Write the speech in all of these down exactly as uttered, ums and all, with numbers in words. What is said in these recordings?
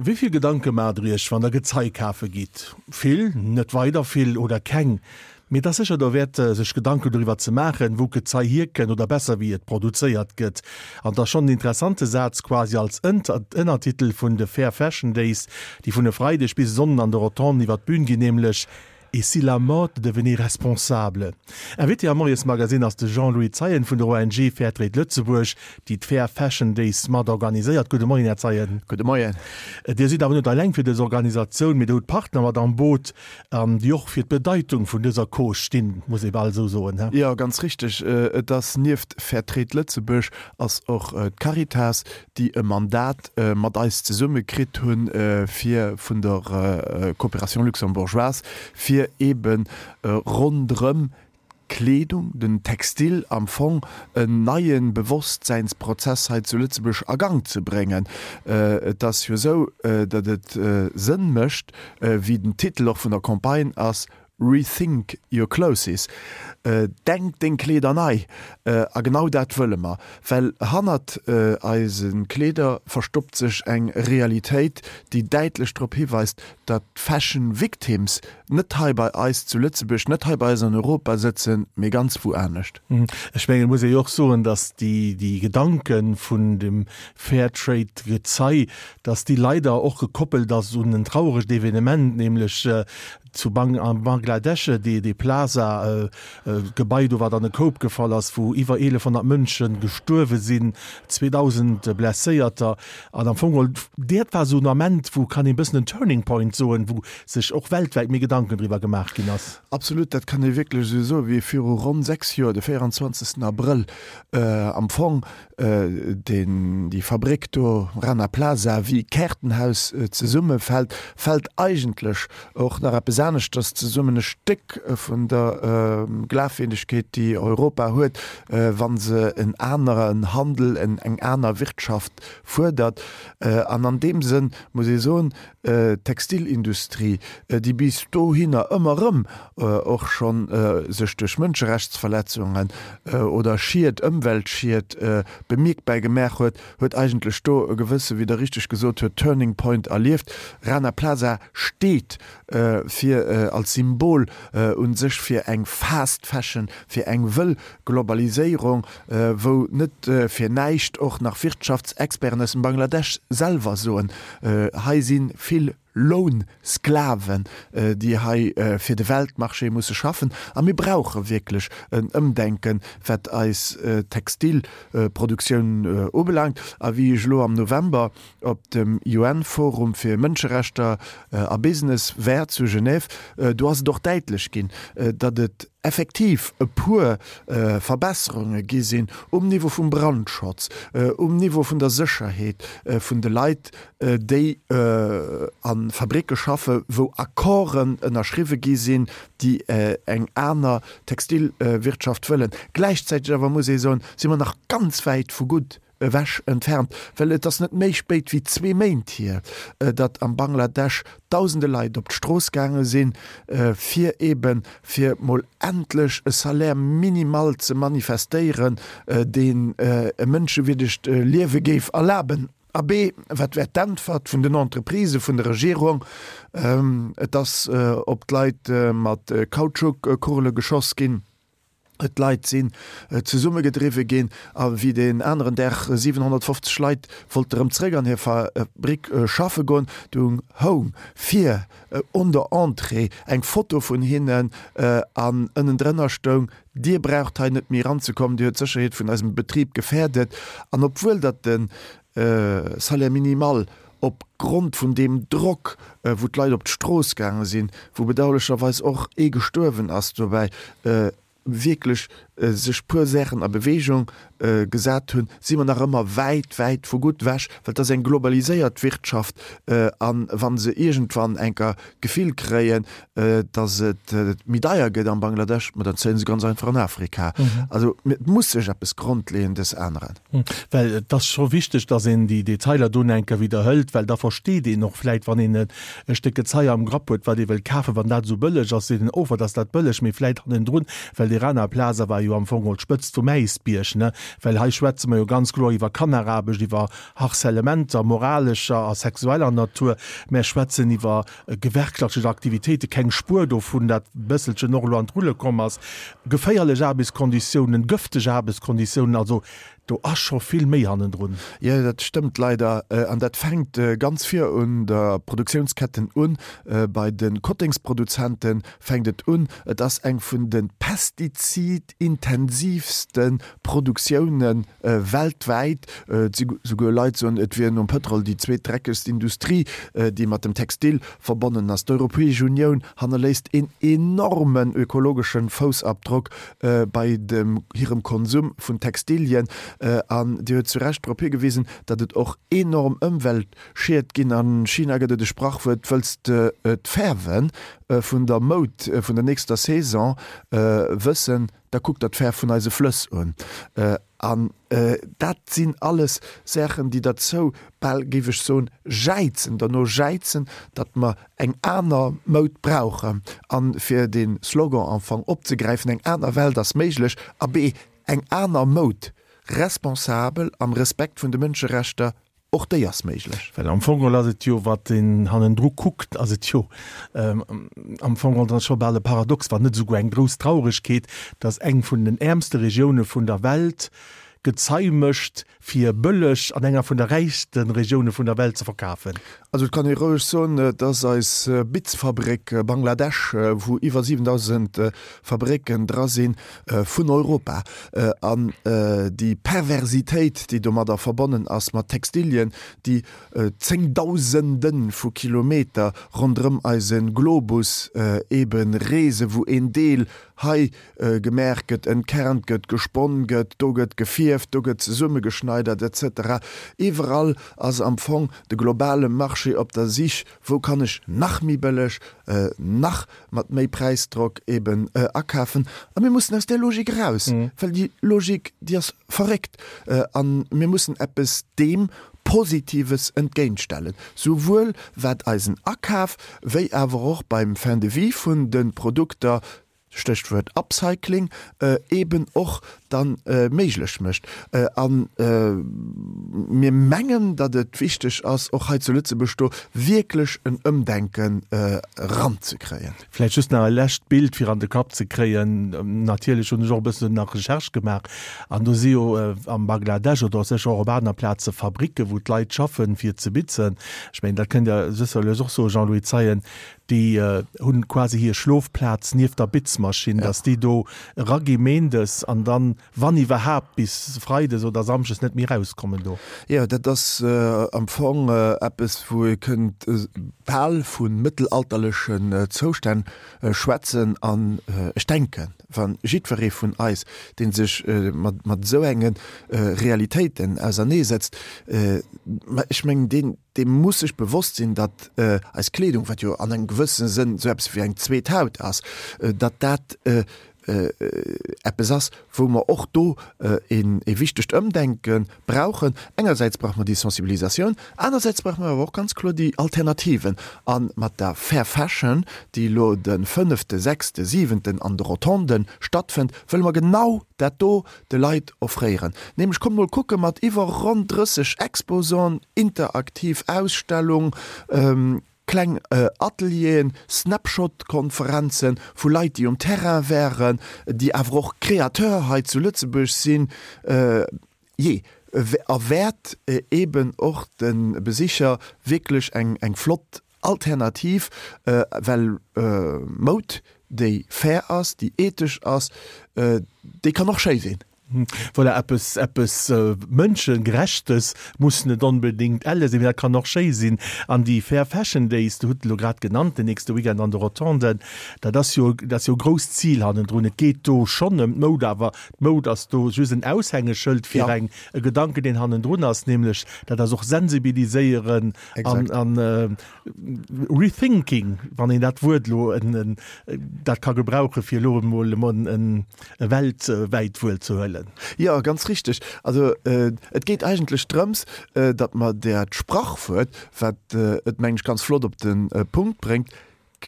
Wéi vill Gedanke maacht der iech, wann der Gezei kafe gitt? Vill, net weider vill oder keng? Mee et ass sécher derwäert, sech Gedanken doriwwer ze maachen, wou d'Gezei hierkënnt oder besser, wéi et produzéiert gëtt. An et ass schonn en interessante Saz, quasi als Ënnertitel vun de Fair Fashion Days, déi vun e Freideg bis e Sonnden an de Rotonden iwwer d'Bün ginn, nämlech, Et si la mode devenait responsable? Invité am Moiesmagazine ass de Jean-Louis Zeien vun der O N G Fairtrade Lëtzebuerg, déi d'Fair Fashion Days mat organiséiert. Gudde Moien, Här Zeien. Gudde Moien. Dir sidd awer net eleng fir dës Organisatioun, mee Dir hutt Partner mat am Boot, déi och fir d'Bedeitung vun dëser Cause stinn, muss ee bal esou soen, he? Jo, ganz richteg. Et ass nieft Fairtrade Lëtzebuerg ass och d'Caritas, déi e Mandat mat eis zesumme kritt hunn, fir vun der Coopération luxembourgeoise, fir eebe ronderëm d'Kleedung, den Textil am Fong, en neie Bewosstsäinsprozess hei zu Lëtzebuerg a Gang ze bréngen. Et ass jo esou, datt et Sënn mécht, wéi den Titel och vun der Campagne ass, Rethink your clothes, Denk deng Kleeder nei. A genau dat wëlle mer, well hannert eise Kleeder verstoppt sech eng Realitéit, déi däitlech drop hiweist, datt d'Fashion Victims net hei bei eis zu Lëtzebuerg, net hei bei eis an Europa sëtzen, mee ganz wou anescht. Ech mengen, et muss ee jo och soen, datt déi Gedanke vun dem Fairtrade-Gezei, datt déi leider och gekoppelt ass un en trauregt Evenement, nämlech zu Bang am Bangladesch, dee dee Plaza Gebai do, wat an e Koup gefall ass, wou iwwer eelefhonnert Mënsche gestuerwe sinn, zweedausend Blesséierter. An am Fong geholl, dat war esou en Ament, wou, kann een e bëssen en Turning Point soen, wou sech och weltwäit méi Gedanken driwwer gemaach ginn ass. Absolut, dat kann ee wierklech esou soen, wéi viru ronn sechs Joer, de véieranzwanzegsten Abrëll am Fong, deen déi Fabréck do, Rana Plaza, wéi Kaartenhaus zesummefält, fält eigentlech och nach eppes aneschters zesummen, e Stéck vun der Glafwierdegkeet, déi Europa huet, wa se en aneren Handel, eng aner Wirtschaft fuerdert. An an deem Sënn muss ee soen, D'Textilindustrie, déi bis dohinner ëmmer erëm och scho sech duerch Mënscherechtsverletzungen oder Schied, Ëmweltschied bemierkbar gemaach huet, huet eigentlech do e gewësse, wéi Der richteg gesot huet, Turning Point erlieft. Rana Plaza steet fir als Symbol u sech fir eng Fast Fashion, fir eng wëll Globaliséierung, wou net fir näischt och nach Wirtschaftsexperten aus dem Bangladesch selwer soen, hei si vill Lounsklaven, déi hei fir de Weltmarché musse schaffen. A mir brauche wierklech en Ëmdenken, wat eis Textilproduktioun ubelaangt. A wéi ech elo am November op dem U N-Forum fir Mënscherechter a Business war zu Genève, do ass et och däitlech ginn, datt et effektiv e puer Verbesserunge gi sinn um Niveau vum Brandschutz, um Niveau vun der Sécherheet vun de Leit, déi a Fabricke schaffen, wou Accorden ënnerschriwwe gi sinn, déi eng aner Textilwirtschaft wëllen. Gläichzäiteg awer muss ee soen, si mer nach ganz wäit vu gutt ewech entfernt, well et ass net méi spéit wéi zwee Méint hier, datt am Bangladesch dausende Leit op d'Strooss gaange sinn, fir eeben, fir mol endlech e Salaire minimal ze manifestéieren, deen e mënschewierdegt Liewe géif erlaben. Abee, wat wär d'Äntwert vun den Entreprisë, vun der Regierung? Et ass op d'Leit mat Kautschuk-Kugele geschoss ginn. D'Leit sinn zesummegedriwwe ginn a wéi deen aneren Dag siwenhonnertfofzeg Leit wollte rëm zréck an hir Fabrick schaffe goen, du houng vir un der Entrée eng Foto vun hinnen an ënnendrënner stoung, Dir braucht hei net méi eranzekommen, Dir huet d'Sécherheet vun eisem Betrib gefährdet. An obwuel datt de Salaire minimal op Grond vun deem Drock, wou d'Leit op d'Strooss gaange sinn, wou bedauerlecherweis och ee gestuerwen ass dobäi, wierklech sech puer Saachen a Bewegung gesat hunn, si mer nach ëmmer wäit, wäit vu gutt ewech, well et ass eng globaliséiert Wirtschaft a wa se iergendwann enker d'Gefill kréien, datt et méi deier gëtt am Bangladesch, ma dann zéie se ganz einfach an Afrika. Also et muss sech eppes Grondleeëndes änneren. Well et ass scho wichteg, datt een déi Detailer do enker widderhëlt, well da versteet een och vläit, wann een e Stéck Gezei am Grapp huet, wat ee wëllt kafen, wann dat esou bëlleg ass, seet een, oh, wat ass dat bëlleg, mee vläit hannendrun, well dee Rana Plaza war jo jo am Fong geholl d'Spëtzt vum Äisbierg, ne? Well hei schwätze mer jo ganz kloer iwwer Kanneraarbecht, iwwer Harcèlementer moralescher a sexueller Natur, mer schwätzen iwwer gewerkschaftlech Aktivitéiten, keng Spuer dovun, dat bësselchen och elo an d'Rulle komm ass, geféierlech Aarbechtskonditiounen, gëfteg Aarbechtskonditiounen, also do ass scho vill méi hannendrun. Jo, dat stëmmt leider. An dat fänkt ganz vir un der Produktiounsketten un. Bei de Kottingsproduzente fänkt et un. Et ass eng vun de pestizidintensiivste Produktioune weltwäit. Et si souguer Leit soen, et wier nom Pëtrol déi zweetdreckegst Industrie, déi mat dem Textil verbonnen ass. D'Europäesch Unioun hannerléisst een enormen ökologesche Foussabdrock bei dem hirem Konsum vun Textilien. An Dir huet zu Recht drop higewisen, datt et och enorm Ëmweltschied ginn. A China gëtt et e Sprachwuert, Wëlls de d'Fäerwe vun der Moud vun der nächster Saison wëssen, da kuck der d'Fäerf vun eise Flëss un. An dat sinn alles Saachen, déi derzou, bal géif ech soen, jäizen, derno jäizen, datt mer eng aner Moud brauchen. A fir de Slogan am Fong opzegräifen, Eng aner Welt ass méiglech, abee, eng aner Moud, responsabel, am Respekt vun de Mënscherechter, och déi ass méiglech. Well am Fong geholl ass et jo, wat een hannendru kuckt, ass et jo am Fong geholl dann scho bal e Paradox, wann net esouguer eng grouss Trauregkeet, dass eng vun den äermste Regioune vun der Welt Gezei mécht, fir bëlleg an enger vun der räichste Regioune vun der Welt ze verkafen. Also et kann ee roueg soen, dass eis Bitzfabréck Bangladesch, wou iwwer siwendausend Fabrécken dra sinn, vun Europa, an déi Perversitéit, déi domadder verbonnen ass, mat Textilien, déi Zéngdausende vu Kilometer ronderëm eise Globus eebe reesen, wou een Deel hei gemaach gëtt, entkernt gëtt, gesponn gëtt, do gëtt gefierft, do gëtt zesummegeschneidert, et cetera. Iwwerall ass am Fong de globale Marché op der Sich, wou kann ech nach méi bëlleg, nach mat méi Präisdrock eben akafen. A mir mussen aus där Logik eraus, well déi Logik, déi ass verréckt. A mir mussen eppes deem Positives entgéintstellen, souwuel wat eisen Akaf wéi awer och beim Fin de vie vun de Produkter, Stéchwuert Upcycling, eben och dann méiglech mécht. A mir mengen, datt et wichteg ass, och hei zu Lëtzebuerg do wierklech en Ëmdenken eranzekréien. Vläicht just nach e lescht Bild, fir an de Kapp ze kréien. Natierlech hunn ech och e bëssen nach Recherche gemaach an do si jo am Bangladesch oder sécher och op aner Plaze Fabricke wou d'Leit schaffen, fir ze bitzen. Ech mengen, dat kënnt Der sécherlech och soen, Jean-Louis Zeien, déi hunn quasi hir Schlofplaz nieft der Bitzmaschinn, dass déi do eragi méindes an dann, wann iwwerhaapt, bis freides oder samschdes net méi erauskommen do. Jo, dat ass am Fong eppes, wou ee kënnt bal vu mëttelalterlechen Zoustänn schwätzen. An ech denken, wa jiddweree vun eis, dee sech mat esou enge Realitéiten auserneesetzt, ma ech mengen, deen, dee muss sech bewosst sinn, datt eis Kleedung, wat jo an engem gewëssene Sënn esou eppes wéi eng zweet Haut ass, datt dat eppes ass, wou mer och do e wichtegt Ëmdenke brauchen. Engersäits brauche mer déi Sensibilisatioun, anersäits brauche mer awer och ganz kloer déi Alternativen. A mat der Fair Fashion, déi elo de fënnefte, sechste, siwenten an de Rotonden stattfënnt, wëlle mer genau dat do de Leit offréieren. Nämlech, kommt mol kucke mat iwwer ronn drësseg Exposanten, interaktiv Ausstellung, kleng Atelieren, Snapshot-Konferenzen vu Leit, déi um Terrain wären, déi awer och Créateur hei zu Lëtzebuerg sinn, jee, a wäert eeben och de Besicher wierklech eng flott Alternativ, well Moud, déi fair ass, déi ethesch ass, déi kann och schéi sinn. Voilà, eppes, eppes Mënschegerechtes muss net onbedéngt elle sinn, mee dat kann och schéi sinn. An déi Fair Fashion Days, du hutt elo grad genannt, den nächste Weekend an de Rotonden, dat ass jo, dat ass jo e grousst Zil hannendrun. Et geet do schonn ëm d'Moud, awer d'Moud ass do just en Aushängeschëld fir eng, e Gedanken, deen hannendrun ass, nämlech dat ass och sensibiliséieren an, an rethinking, wann een dat Wuert elo dat ka gebrauchen, fir elo emol e weltwäit Wuert ze huelen. Jo, ganz richteg. Also et geet eigentlech drëms, datt mer dat Sprachwuert, wat et, mengen ech, ganz flott op de Punkt bréngt,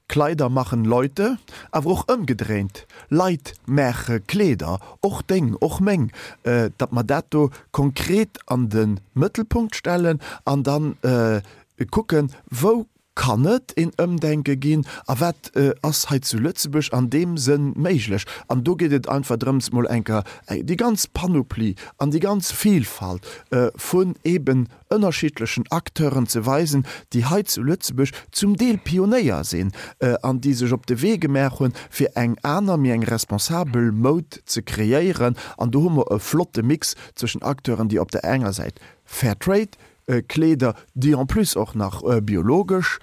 Kleider machen Leute, awer och ëmgedréint, Leit maache Kleeder, och deng, och meng, datt mer dat do konkret an de Mëttelpunkt stellen an dann kucken, wou kann et een Ëmdenke ginn a wat ass hei zu Lëtzebuerg an deem Sënn méiglech. An do geet et einfach drëms, mol eng Kéier déi ganz Panoplie an déi ganz Vielfalt vun eeben ënnerschiddlechen Acteuren ze weisen, déi hei zu Lëtzebuerg zum Deel Pionéier sinn an déi sech op de Wee gemaach hunn, fir eng aner, méi eng responsabel Moud ze kreéieren. An do hu mer e flotte Mix zwëschen Acteuren, déi op der enger Säit Fair Trade Kleeder, déi en plus och nach biologesch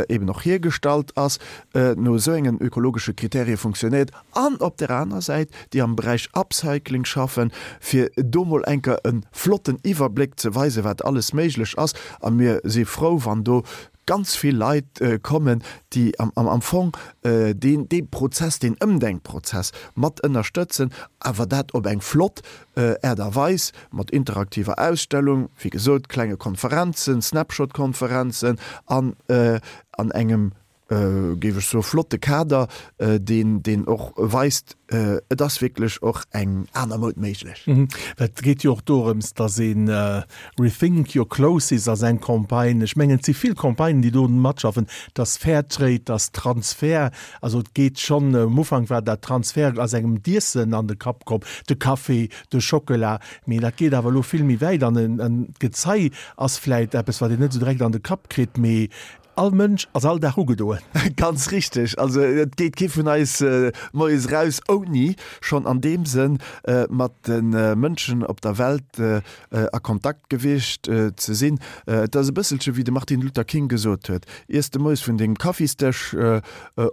eben och hiergestallt ass, no esou engen ökologesche Kriterie funktionéiert, an op der aner Säit déi am Beräich Upcycling schaffen, fir do mol enker e flotten Iwwerbléck ze weisen, wat alles méiglech ass. A mir si frou, wann do ganz vill Leit kommen, déi am Fong deen dee Prozess, deen Ëmdenkprozess mat ënnerstëtzen, awer dat op eng flott Aart a Weis, mat interaktiver Ausstellung, wéi gesot, klenge Konferenzen, Snapshot-Konferenzen an an engem, géif ech soen, flotte Kader, deen deen och weist, et ass wierklech och eng aner Moud méiglech. Et geet jo och dorëms, dass een Rethink your clothes ass eng Campagne, ech mengen et si vill Campagnen, déi do matschaffen, dass Fairtrade, dass Transfer, also et geet schonn, um Ufank war dat Transfer, ass engem d'Iessen an de Kapp komm, de Café, de Schockela, mee dat geet awer elo vill méi wäit an d'Gezei ass vläit eppes, wat een net esou direkt an de Kapp kritt, mee All Mënsch ass all Dag ugedoen. Ganz richteg. Also et geet kee vun eis moies eraus, ouni schonn an deem Sënn mat de Mënschen op der Welt a Kontakt gewiescht ze sinn. Et ass e bësselche wéi de Martin Luther King gesot huet, Iers de moies vun dengem Kaffisdësch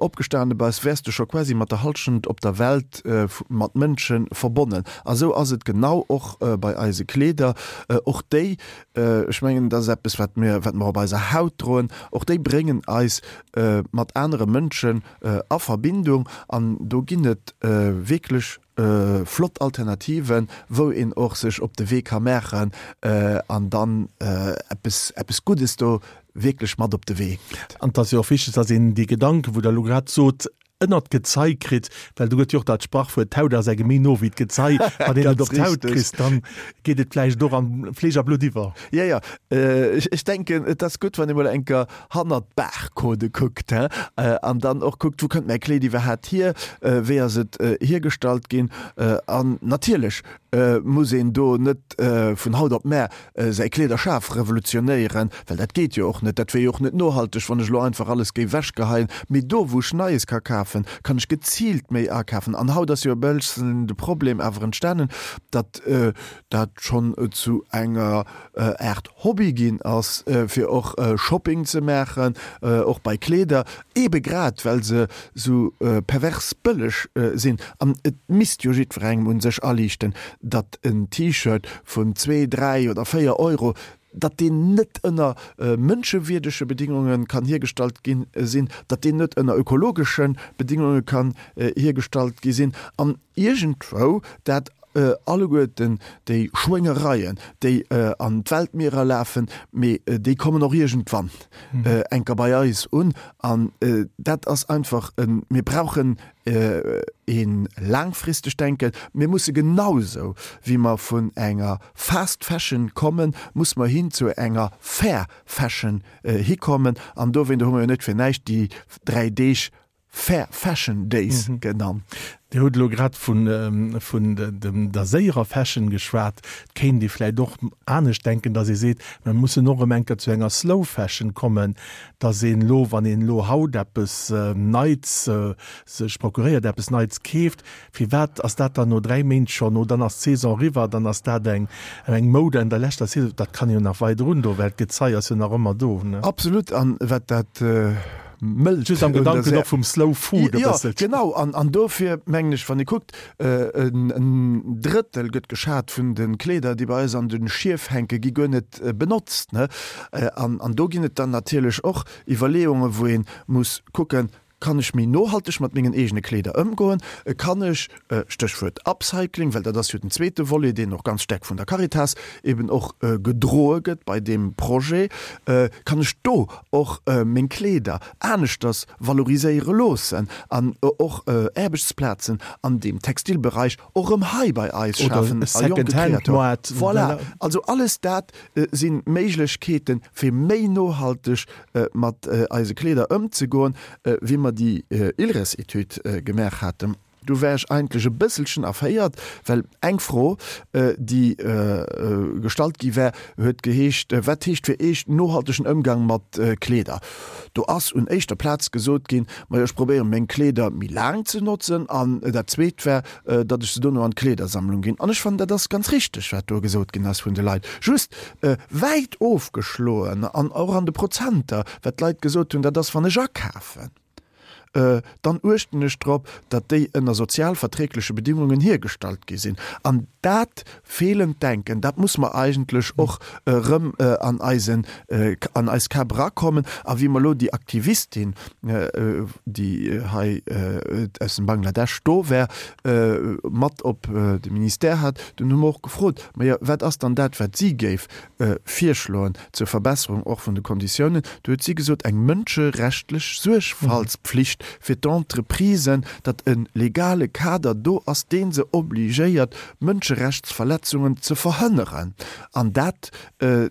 opgestane bass, wäers de scho quasi mat der Hallschent op der Welt mat Mënsche verbonnen. A sou ass et genau och bei eise Kleeder. Och déi Ech mengen, dat ass eppes, wat mir, wat mer op eiser Haut droen. Och déi bréngen eis mat anere Mënschen a Verbindung. An do ginn et wierklech flott Alternativen, wou een och sech op de Wee ka maachen an dann eppes, eppes Guddes do wierklech mat op de Wee gëtt. An et ass jo och wichteg, dass een déi Gedanken, wou Der elo grad sot, ënnert d'Gezei kritt, well do gëtt jo och dat Sprachwuert, d'Haut ass engem méi no wéi d'Gezei. Wann een et op d'Haut kritt, dann geet et vläicht och an Fleesch a Blutt iwwer. Jo, jo, ech denken, et ass gutt, wann ee mol eng Kéier hannert d'Barcodë kuckt, he, an dann och kuckt, wou kënnt mäi Kleed iwwerhaapt hier, wéi ass et hiergestallt ginn. An natierlech muss een do net vun haut op mar säi Kleederschaf revolutionéieren, well dat geet jo och net, dat wier jo och net nohalteg, wann ech elo einfach alles géif ewechgeheien. Mee do, wou ech Neies ka kafen, kann ech geziilt méi akafen. An haut ass jo e bëlschen de Problem awer entstanen, datt dat schonn zu enger Aart Hobby ginn ass, fir och Shopping ze maachen, och bei Kleeder, eebe grad well se sou pervers bëlleg sinn. An et misst jo jiddwerengem un sech aliichten, datt en T-Shirt vun zwee, dräi oder véier Euro, datt deen net ënner mënschewierdege Bedingunge kann hiergestallt gi sinn, datt deen net ënner ökologesche Bedingunge kann hiergestallt gi sinn an iergendwou dat alleguerten déi Schwéngereien, déi an d'Weltmierer lafen, mee déi kommen och iergendwann enker bei eis un. An dat ass einfach e, mir brauchen e laangfristegt Denken. Mir musse genausou wéi mer vun enger Fast Fashion kommen, musse mer hin zu enger Fair Fashion hikommen. An dowéinter hu mer jo net fir näischt déi dräi Deeg Fair Fashion Days genannt. Dir hutt elo grad vun der séierer Fashion geschwat. Et kéint ee vläicht och anescht denken, datt ee seet, mer mussen och erëm eng Kéier zu enger Slow Fashion kommen, datt een elo, wann een elo haut eppes Neits sech procuréiert, eppes Neits keeft, firwat ass dat dann no dräi Méint schonn, oh dann ass d'Saison eriwwer, dann ass dat eng Moude an der leschter Saison. Dat kann een jo nach weider undoen, well d'Gezei ass jo nach ëmmer do. Absolut. An wat dat mëllt. Just am Gedanken och vum Slow Food e bësselchen. Jo, genau. An, an dofir mengen ech, wann ee kuckt, en, en Drëttel gëtt geschat vun de Kleeder, déi bei eis an de Schief hänken, gi guer net benotzt, ne? An, an do ginn et dann natierlech och Iwwerleeungen, wou ee muss kucken, Kann ech méi nohalteg mat mengen eegene Kleeder ëmgoen? Kann ech, Stéchwuert Upcycling, well dat ass jo den zweete Volet, deen och ganz staark vun der Caritas eben och gedroe gëtt bei deem Projet, kann ech do och meng Kleeder aneschters valoriséiere loossen an och Aarbechtsplazen an deem Textilbereich och erëm hei bei eis schafen a jonke Créateuren. Voilà, also alles dat si Méiglechkeeten, fir méi nohalteg mat eise Kleeder ëmzegoen, wéi mer déi ILRES-Etüd gemaach haten. Do war ech eigentlech e bësselchen erféiert, well eng Fro, déi gestallt gi war, huet geheescht, Wat heescht fir Iech nohaltegen Ëmgang mat Kleeder? Do ass un éischter Plaz gesot ginn, Majo, ech probéieren, meng Kleeder méi laang ze notzen. An dat Zweet war, datt ech se dono an d'Kleedersammlung ginn. An ech fannen, dat ass ganz richteg, wat do gesot ginn ass vun de Leit. Just wäit ofgeschloen an och an de Prozenter, wat d'Leit gesot hunn, dat ass, wann ech akafen, dann uechten ech drop, datt déi ënner sozial verträgleche Bedingungen hiergestallt gi sinn. An dat feelend Denken, dat muss mer eigentlech och erëm an eisen, an eis Käpp erakommen. A wéi mer elo déi Aktivistin, déi hei aus dem Bangladesch do war, mat op de Ministère hat, dunn hu mer och gefrot, Majo, wat ass dann dat, wat si géif virschloen zur Verbesserung och vun de Konditiounen? Do huet si gesot, eng mënscherechtlech Suergfaltspflicht fir d'Entreprisen, datt e legale Kader do ass, dee se obligéiert, Mënscherechtsverletzungen ze verhënneren. An dat,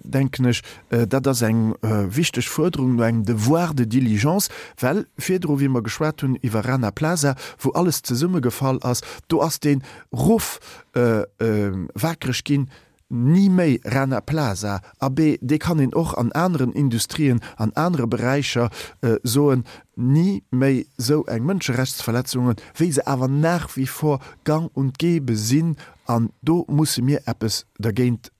denken ech, dat ass eng wichteg Fuerderung no engem Devoir de diligence, well virdru, wéi mer geschwat hunn iwwer Rana Plaza, wou alles zesummegefall ass, do ass dee Ruff wakereg ginn, Ni méi Rana Plaza! Abee, dee kann een och an aneren Industrien, an anere Beräicher soen, ni méi esou eng Mënscherechtsverletzungen, wéi se awer nach wie vor gang und gäbe sinn. An do musse mir eppes dergéint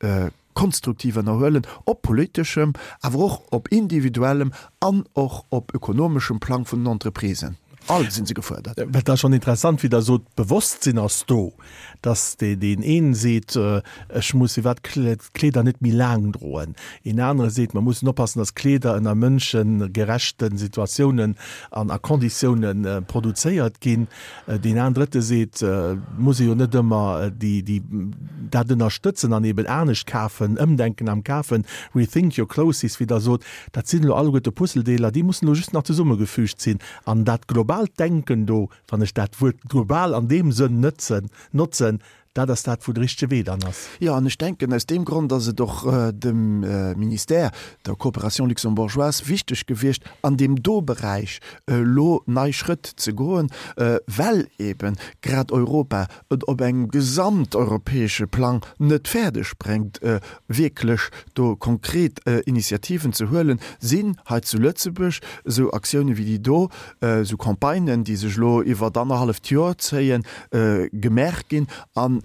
konstruktiv ënnerhuelen, op politeschem, awer och op individuellem an och op ökonomeschem Plang vun den Entreprisen. All sinn se gefuerdert. Dat ass schonn interessant, wéi Der sot, d'Bewosstsinn ass do, dass deen een seet, ech muss iwwert d'Kleeder net méi laang droen, een anere seet, mer mussen oppassen, dass Kleeder ënner mënschegerechte Situatiounen an a Konditiounen produzéiert ginn, deen an drëtte seet, et muss ee jo net ëmmer déi, déi dat ënnerstëtzen an eben anescht kafen, ëmdenken am Kafen, rethink your clothes, wéi Der sot. Dat sinn elo alleguerte Puzzledeeler, déi mussen elo just nach zesummegefügt sinn. An dat globaalt Denken do, wann ech dat Wuert global an deem Sënn nëtzen, notzen, dat ass dat, wou de richtege Wee dann ass. Jo, an ech denken, aus deem Grond ass et och dem Ministère der Coopération luxembourgeoise wichteg gewiescht, an deem do Beräich elo nei Schrëtt ze goen, well eebe grad Europa et op engem gesamteuropäesche Plang net fäerdeg bréngt, wierklech do konkret Initiativen ze huelen, sinn hei zu Lëtzebuerg esou Aktioune wéi déi do, esou Campagnen, déi sech elo iwwert annerhalleft Joer zéien, gemaach ginn an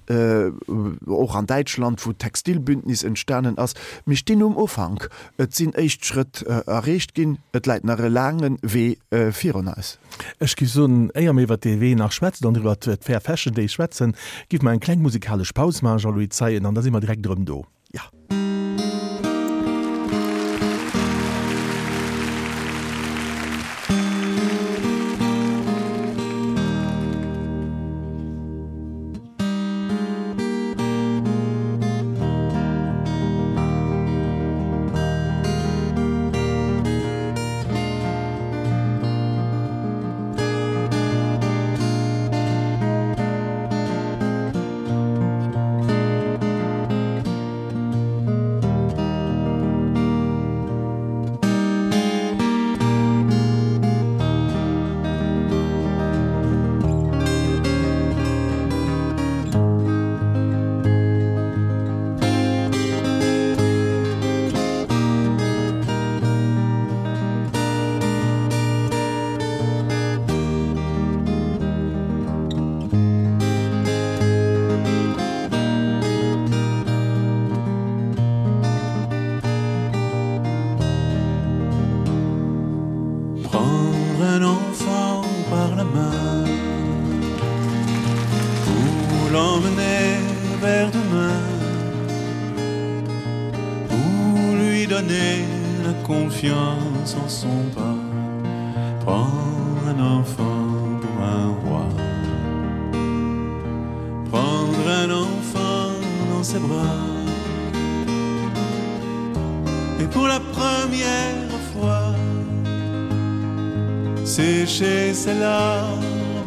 och an Däitschland, wou d'Textilbündnis entstanen ass. Mir stinn um Ufank, et sinn éischt Schrëtt erreecht ginn, et läit nach e laange Wee virun eis. Ech géif soen, éier mir iwwert dee Wee nach schwätzen an iwwert d'Fair Fashion Days schwätzen, géife mer eng kleng musikalesch Paus maachen, Jean-Louis Zeien, an da si mer direkt erëm do. Jo. Prendre un enfant par la main Pour l'emmener vers demain Pour lui donner la confiance en son pas Prendre un enfant pour un roi. Prendre un enfant dans ses bras. Et pour la première fois, sécher ses larmes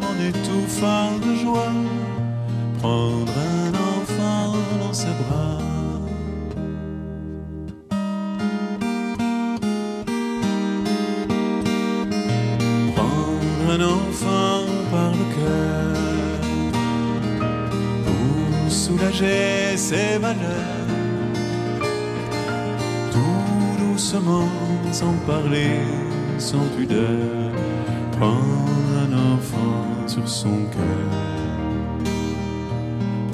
en étouffant de joie, prendre un enfant dans ses bras. Prendre un enfant par le cœur pour soulager ses malheurs, tout doucement, sans parler, sans pudeur, prendre un enfant sur son cœur.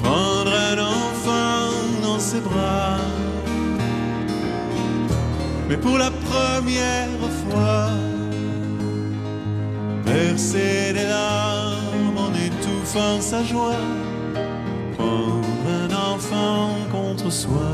Prendre un enfant dans ses bras, mais pour la première fois, verser des larmes en étouffant sa joie, prendre un enfant contre soi.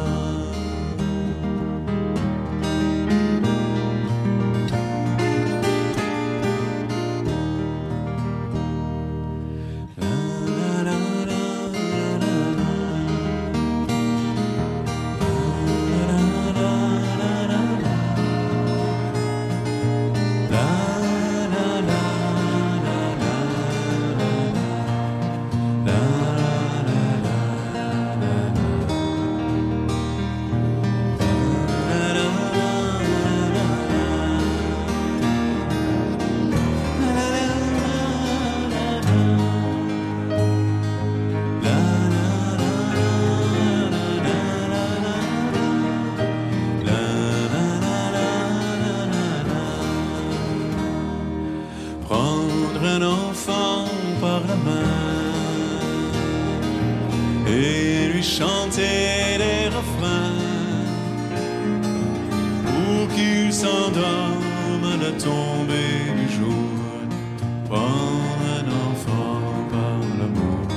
Prendre un enfant par la main et lui chanter des refrains pour qu'il s'endorme à la tombée du jour. Prendre un enfant par l'amour.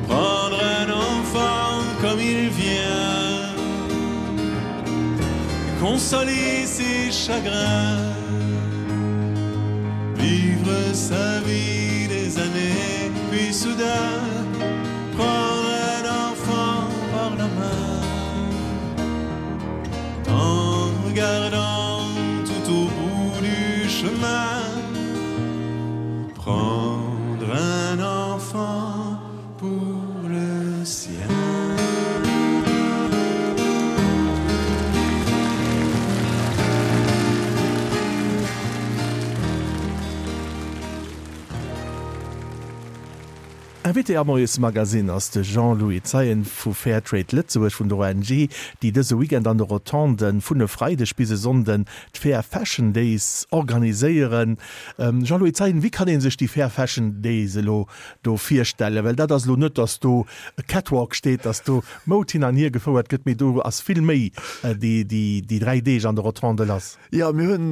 Prendre un enfant comme il vient, consoler ses chagrins, vivre sa vie des années, puis soudain prendre un enfant par la main, en regardant tout au bout du chemin, prendre un enfant pour le sien. Invité am Moiesmagazin ass de Jean-Louis Zeien vu Fairtrade Lëtzebuerg vun der O N G, déi dëse Weekend an de Rotonden vun e Freideg bis e Sonnden d'Fair Fashion Days organiséieren. Jean-Louis Zeien, wéi kann ee sech déi Fair Fashion Days elo do virstellen? Well dat ass elo net, dass do e Catwalk steet, dass do Moud hin an hier gefouert gëtt, mee do ass vill méi déi, déi, déi dräi Deeg an de Rotonde lass. Jo, mir hunn,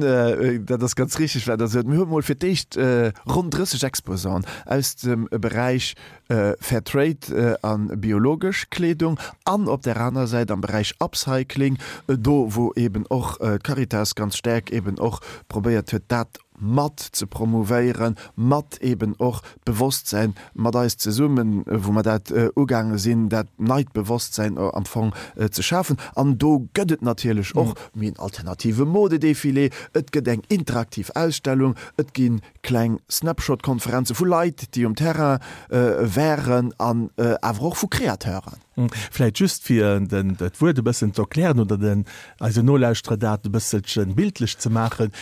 dat ass ganz richteg, wat Der sot, mir hu mol fir d'éischt ronn drësseg Exposanten aus dem Beräich Fair Trade an biologesch Kleedung an op der aner Säit am Beräich Upcycling, do wou eben och d'Caritas ganz staark eben och probéiert huet, dat mat ze promouvéieren, mat eben och d'Bewosstsäin mat eis zesummen, wou mer dat ugaange sinn, dat neit Bewosstsäin am Fong ze schafen. An do gëtt et natierlech och méi en alternative Modedefilé, et gëtt eng interaktiv Ausstellung, et gi kleng Snapshot-Konferenze vu Leit, déi um Terrain wären an awer och vu Kreateuren. Vläit just fir den dat Wuert e bëssen ze erklären oder den eisen Nolauschterer dat e bësselchen bildlech ze maachen,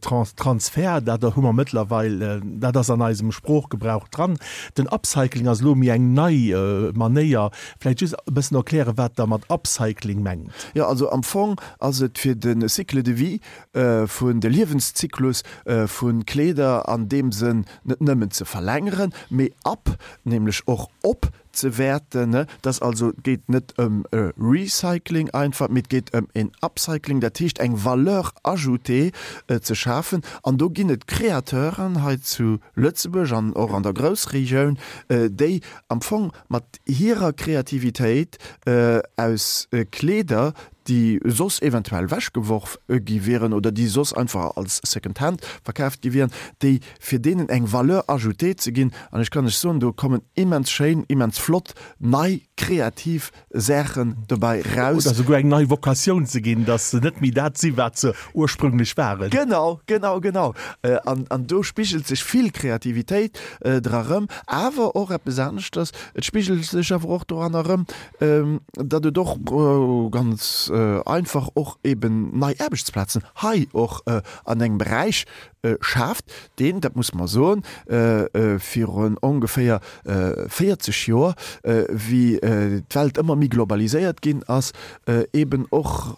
Trans Transfer, dat hu mer mëttlerweil, dat ass an eisem Sproochgebrauch dran. Den Upcycling ass elo méi eng nei Manéier. Vläit just e bëssen erklären, wat Der mat Upcycling mengt. Jo, also am Fong ass et fir de Cycle de vie vun, de Liewenszyklus vu Kleeder an deem Sënn net nëmmen ze verlängeren, mee up, nämlech och op ze wäerten. Dass also, et geet net ëm e Recycling einfach, mee et geet ëm en Upcycling, dat heescht eng Valeur ajoutée ze schafen. An do ginn et Créateuren hei zu Lëtzebuerg an och an der Groussregioun, déi am Fong mat hirer Kreativitéit aus Kleeder, déi soss eventuell ewechgeworf gi wieren oder déi soss einfach als Second Hand verkaaft gi wieren, déi fir deenen eng Valeur ajoutée ze ginn. An ech kann lech soen, do kommen immens schéin, immens flott, nei, kreativ Saachen dobäi raus. Oder souguer eng nei Vocatioun ze ginn, dass se net méi dat sinn, wat se ursprünglech waren. Genau, genau, genau. An, an do spigelt sech vill Kreativitéit dra rëm, awer och eppes aneschters, et spigelt sech awer och doranner rëm, datt et och ganz einfach och eben nei Aarbechtsplazen hei och an engem Beräich schaaft, deen, dat muss mer soen, virun ongeféier véierzeg Joer, wéi d'Welt ëmmer méi globaliséiert ginn ass, eben och,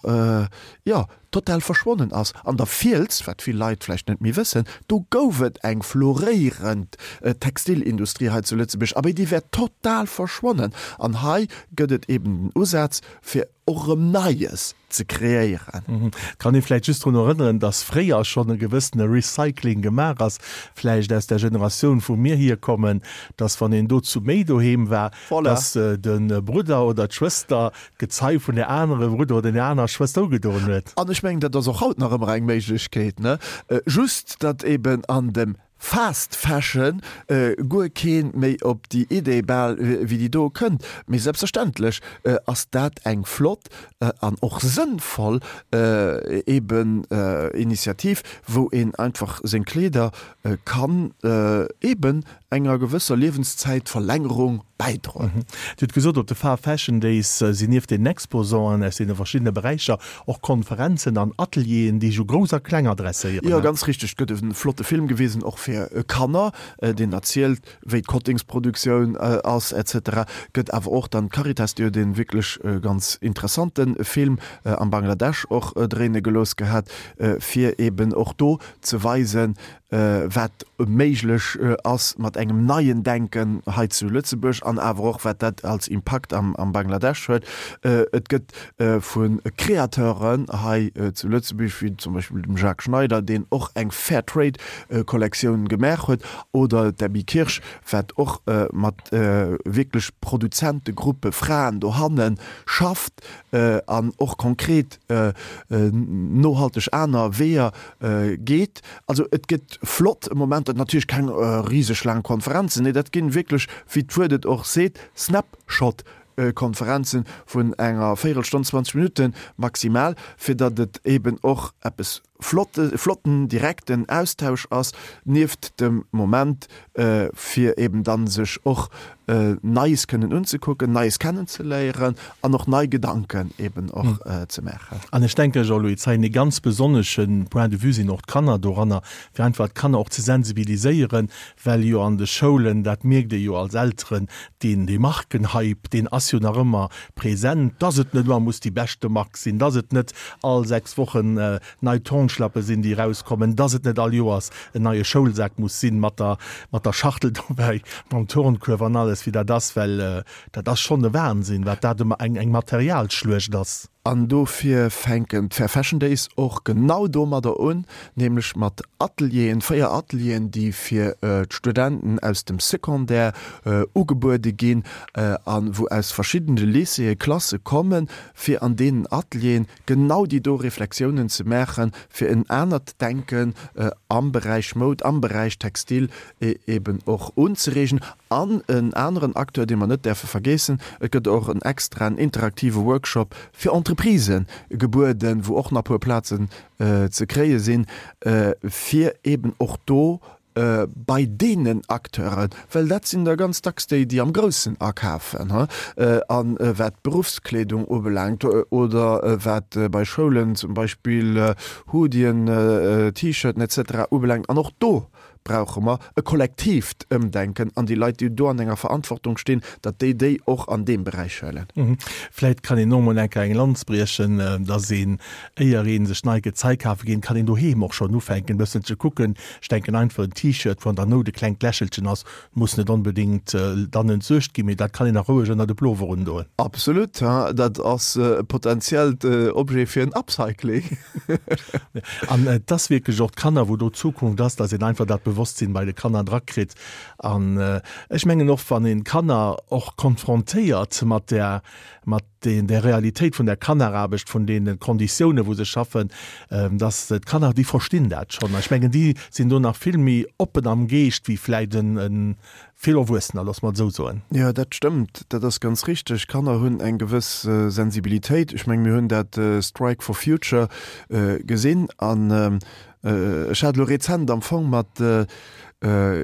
jo, total verschwonnen ass. An der Fiels, wat vill Leit vläicht net méi wëssen, do gouf et eng floréierend Textilindustrie hei zu Lëtzebuerg, abee déi wär total verschwonnen. An hei gëtt et eben den Usaz, fir och erëm Neies ze kreéieren. Et kann ee vläicht just drun erënneren, dass fréier schonn e gewëssene Recycling gemaach ass, vläicht aus der Generatioun, wou mir hierkommen, dass wann een do zu méi doheem war, dass de Brudder oder d'Schwëster d'Gezei vun der anere Brudder oder der anerer Schwëster ugedoen huet. An ech mengen, dat ass och haut nach ëmmer eng Méiglechkeet, ne? Just datt eben an dem Fast Fashion guer kee méi op déi Idee bal wéi déi do kënnt. Mee selbstverständlech ass dat eng flott an och sënnvoll eben Initiativ, wou een einfach seng Kleeder kann eben enger gewësser Liewenszäitverlängerung bäidroen. Dir hutt gesot, op de Far Fashion Days sinn nieft den Exposanten aus deene verschiddene Beräicher och Konferenzen an Atelieren, déi sech u Grouss a Kleng adresséieren. Jo, ganz richteg. Et gëtt e flotte Film gewisen, och fir Kanner, deen erzielt, wéi d'Kottingsproduktioun ass et cetera. Gëtt awer och dann d'Caritas, déi huet e wierklech ganz interessante Film am Bangladesch och dréine gelooss gehat, fir eeben och do ze weisen, wat méiglech ass mat engem neien Denken hei zu Lëtzebuerg an awer och wat dat als Impakt am Bangladesch huet. Et gëtt vu Créateuren hei zu Lëtzebuerg, wéi zum Beispill dem Jacques Schneider, deen och eng Fair Trade Kollektioun gemaach huet, oder d'Abby Kirsch, wat och mat wierklech Produzentegruppe Fraen dohanne schafft an och konkret nohalteg aner Weeër geet. Also et gëtt flott Momenter, natierlech keng riseg laang Konferenzen, nee dat ginn wierklech, wéi d'Wuert et och seet, Snapshot-Konferenzen vun enger Véierelstonn, zwanzeg Minutten maximal, fir datt et eben och eppes flotte, flotten direkten Austausch ass, nieft dem Moment fir eben dann sech och Neies kënnen unzekucken, Neies kennenzeléieren an och nei Gedanken eben och ze maachen. An ech denken, Jean-Louis Zeien, ee ganz besonnesche Point de vue sinn och d'Kanner doranner, fir einfach d'Kanner och ze sensibiliséieren, well jo an de Schoulen, dat mierkt ee jo als Elteren, deen, dee Markenhype, deen ass jo nach ëmmer present, dass et net ëmmer muss déi beschte Mark sinn, dass et net all sechs Wochen nei Turnschlappe sinn, déi erauskommen, dass et net all Joers en neie Schoulsak muss sinn mat der, mat der Schachtel dobäi, mam Turnkuerf an alles, wéi dat ass, well dat ass schonn e Wahnsinn, wat dat ëmmer eng, eng Materialschluecht ass. An dofir fänken d'Fair Fashion Days och genau domadder un, nämlech mat Atelieren, véier Atelieren, déi fir d'Studenten aus dem Secondaire ugebuede ginn a wou aus verschiddene Lycéeë Klasse kommen, fir an deenen Atelieren genau déi do Reflexiounen ze maachen, fir en anert Denken am Beräich Moud, am Beräich Textil eben och unzereegen. An en aneren Acteur, dee mer net däerfe vergeessen, Et gëtt och en extraen interaktive Workshop fir Entreprisë gebueden, wou och nach e puer Plazen ze kréie sinn, fir eben och do bei deenen Acteuren, well dat sinn da ganz dacks déi, déi am Groussen akafen, a wat d'Beruffskleedung ubelaangt oder wat bei Schoulen zum Beispill Hoodien, T-Shirten et cetera ubelaangt. An och do brauche mer e kollektiivt Ëmdenken an déi Leit, déi do an enger Verantwortung stinn, datt déi déi och an deem Beräich huelen. Vläit kann een och emol eng Kéier eng Lanz briechen, datt een, éier ee sech nei Gezei kafe geet, kann een doheem och schonn ufänken e bëssen ze kucken. Ech denken einfach en T-Shirt, wou an der Nout e klengt Lächelchen ass, muss net onbedéngt dann entsuergt ginn, mee dat kann een nach roueg ënner de Plover undoen. Absolut, dat ass e potentiellt Objet fir en Upcycling. An et ass wierklech och d'Kanner, wou do d'Zukunft ass, datt een einfach dat Bewosstsinn bei de Kanner drakritt. An ech mengen och, wann een d'Kanner och konfrontéiert mat der, mat den, der Realitéit vun der Kanneraarbecht, vun deene Konditiounen, wou se schaffen, dass d'Kanner, déi verstinn dat schonn. Ech mengen, déi sinn do nach vill méi oppen am Geescht wéi vläicht en, en vill Erwuessener, loosse mer et esou soen. Jo, dat stëmmt, dat ass ganz richteg. Kanner hunn eng gewëss Sensibilitéit. Ech menge mir hunn dat Strike for Future gesinn an ech hat elo rezent am Fong mat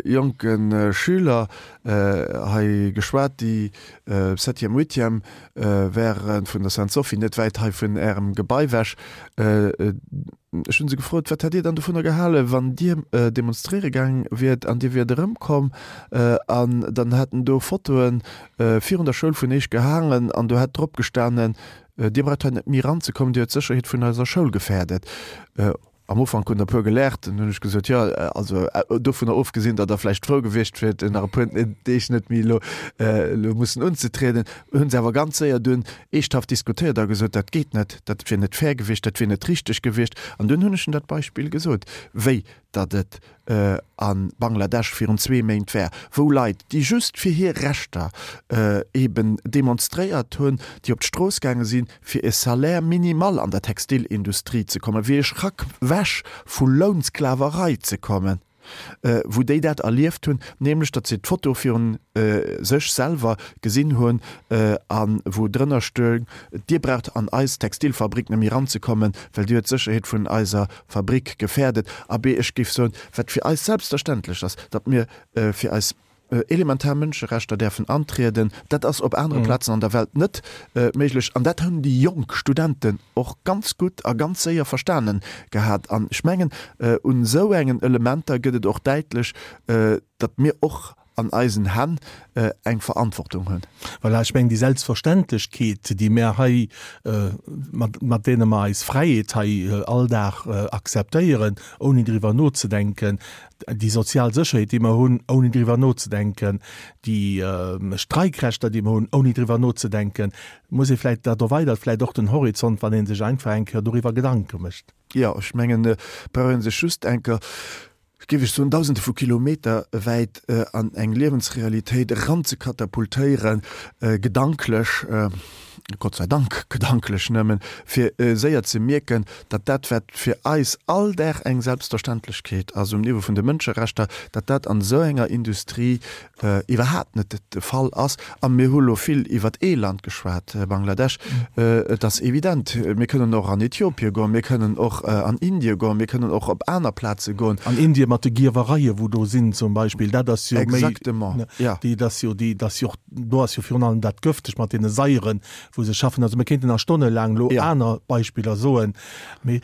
jonke Schüler hei geschwat, déi Septième, Huitième wäre vun der Sainte-Sophie, net wäit hei vun Ärem Gebai ewech. Ech hu se gefrot, Wat hätt Dir dann dovunner gehalen, wann Dir demonstréiere gaang wiert an Dir wiert erëmkomm an dann hätten do Fotoe virun der Schoul vun Eech gehaangen an do hätt drop gestanen, Dir braucht hei net méi eranzekommen, Dir huet d'Sécherheet vun eiser Schoul gefährdet. Am Ufank hunn der e puer gelaacht, dann hunn ech gesot, jo, also dovunner ofgesinn, datt der vläicht frou gewiescht wiert, nach e puer Deeg net méi elo elo mussen unzetrieden, hunn se awer ganz séier dunn eeschthaft diskutéiert a gesot, dat geet net, dat wier net fair gewiescht, dat wier net richteg gewiescht. An dunn hunn ech en dat Beispill gesot, wéi datt et a Bangladesch virun zwee Méint war, wou Leit, déi just fir hir Rechter eben demonstréiert hunn, déi op d'Strooss gaange sinn, fir e Salaire minimal an der Textilindustrie ze kommen, fir e Schrack wech vu Lounsklaverei ze kommen, wou déi dat erlieft hunn, nämlech datt se d'Foto virun sech selwer gesinn hunn a wou drënner stoung, Dir braucht an eis Textilfabrik net méi eranzekommen, well Dir huet d'Sécherheet vun eiser Fabrik gefährdet. Abee, ech géif soen, wat fir eis selbstverständlech ass, datt mir fir eis elementar Mënscherechter däerfen antrieden, dat ass op anere Plazen an der Welt net méiglech. An dat hunn déi jonk Studenten och ganz gutt a ganz séier verstanen gehat. An ech mengen, un esou engen Elementer gëtt et och däitlech, datt mir och an eisen Hänn eng Verantwortung hunn. Voilà, ech mengen, déi Selbstverständlechkeet, déi mär hei, mat, mat deene mer eis Fräiheet hei all Dag akzeptéieren, ouni driwwer nozedenken, déi sozial Sécherheet, déi mer hunn, ouni driwwer nozedenken, déi Streikrechter, déi mer hunn, ouni driwwer nozedenken, muss ee vläicht, dat erweidert vläicht och den Horizont, wann ee sech einfach eng Kéier doriwwer Gedanke mécht. Jo, ech mengen, et brauch ee sech just eng Kéier, géif ech soen, Dausende vu Kilometer wäit an eng Liewensrealitéit eranzekatapultéieren, gedanklech, Gott sei Dank gedanklech nëmmen, fir séier ze mierken, datt dat, wat fir eis all Dag eng Selbstverständlechkeet ass um Niveau vun de Mënscherechter, datt dat an esou enger Industrie iwwerhaapt net de Fall ass. A mir hu lo vill iwwert ee Land geschwat, Bangladesch. Et ass evident, mir kënnen och an Äthiopie goen, mir kënnen och an Indie goen, mir kënnen och op aner Plaze goen. An Indie mat de Gierwereie wou do sinn zum Beispill, dat ass jo méi, Exactement, ja. déi, dat ass jo déi, dat ass jo och, do ass jo virun allem dat gëfteg mat deene Saieren, wou se schaffen. Also mir kéinten nach stonnelaang elo aner Beispiller soen, mee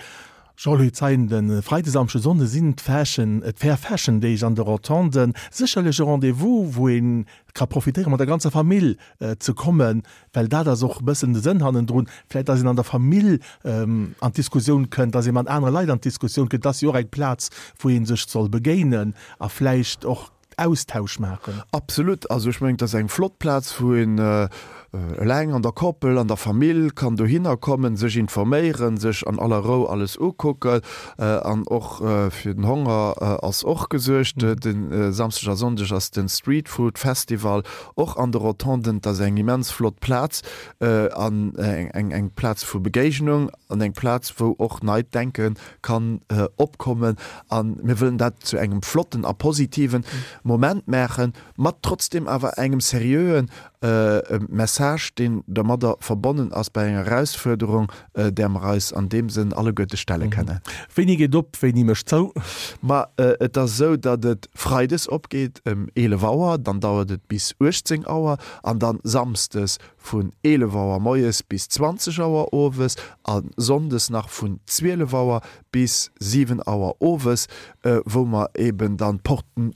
Jean-Louis Zeien, de Freide, Samschde, Sonnde sinn d'Fashion, d'Fair Fashion Deeg an de Rotonden. Sécherlech e Rendez-vous, wou ee ka profitéieren, mat der ganzer Famill ze kommen, well dat ass och e bëssen de Sënn hannendrun, vläicht datt een an der Famill an d'Diskussioun kënnt, datt ee mat anere Leit an d'Diskussioun kënnt. Dat ass jo och eng Plaz, wou ee sech soll begéinen a vläicht och Austausch maachen. Absolut. Also ech mengen, et ass eng flott Plaz, wou een eleng, an der Koppel, an der Famill kann dohinner kommen, sech informéieren, sech an aller Rou alles ukucken. An och fir den Honger ass och gesuergt. De Samschdeg a Sonndeg ass de Street Food Festival och an de Rotonden. Et ass eng immens flott Plaz an eng Plaz vu Begéignung an eng Plaz, wou och neit Denke kann opkommen. A mir wëllen dat zu engem flotten a positiven Moment maachen, mat trotzdem awer engem seriöen Message, deen dermadder verbonnen ass bei enger Erausfuerderung, där mer eis an deem Sënn alleguerte stelle kënnen. Wéini geet op, wéini mécht zou? Ma et ass esou, datt et freides opgeet ëm eelef Auer, dann dauert et bis uechtzéng Auer an dann samsdes vun eelef Auer moies bis zwanzeg Auer owes a sonndes nach vun zwielef Auer bis siwen Auer owes, wou mer eben dann d'Porten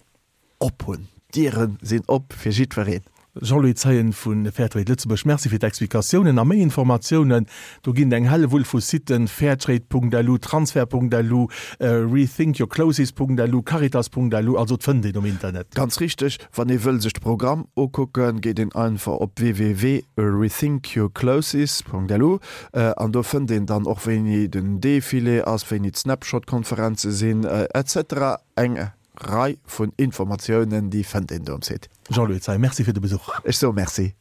op hunn. D'Diere sinn op fir jiddwereen. Jean-Louis Zeien vu Fairtrade Lëtzebuerg, Merci fir d'Explikatiounen a méi Informatiounen. Do ginn et eng Hellewull vu Siten, fairtrade.lu, transfer.lu, rethinkyourclothes.lu, caritas.lu, also et fënnt een um Internet. Ganz richteg, wann ee wëll sech de Programm ukucken, geet een einfach op www.rethinkyourclothes.lu an do fënnt een dann och wéini den Defilé ass, wéini d'Snapshot-Konferenze sinn, etc. Eng Rei vun Informatiounen, déi fënnt een do um Site. Jean-Louis Zeien, Merci fir de Besuch. Ech soe Merci.